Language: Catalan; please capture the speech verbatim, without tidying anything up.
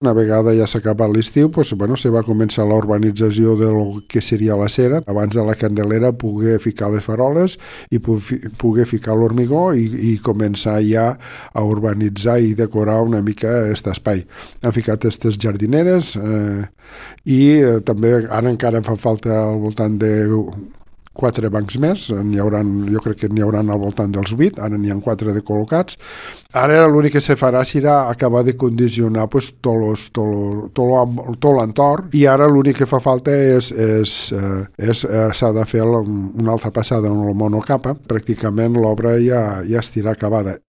Una vegada ja s'ha acabat l'estiu, doncs, bueno, se va començar la urbanització del que seria la cera. Abans de la Candelera poder ficar les faroles i poder ficar l'hormigó i, i començar ja a urbanitzar i decorar una mica aquest espai. Han ficat aquestes jardineres eh, i eh, també ara encara fa falta al voltant de quatre bancs més, n'hi haurà, jo crec que n'hi haurà al voltant dels vuit, ara n'hi ha quatre de col·locats. Ara l'únic que se farà serà acabar de condicionar pues, tot, los, tot, lo, tot, lo, tot l'entorn, i ara l'únic que fa falta és, és, eh, és eh, s'ha de fer una altra passada en el monocapa. Pràcticament l'obra ja, ja estirà acabada.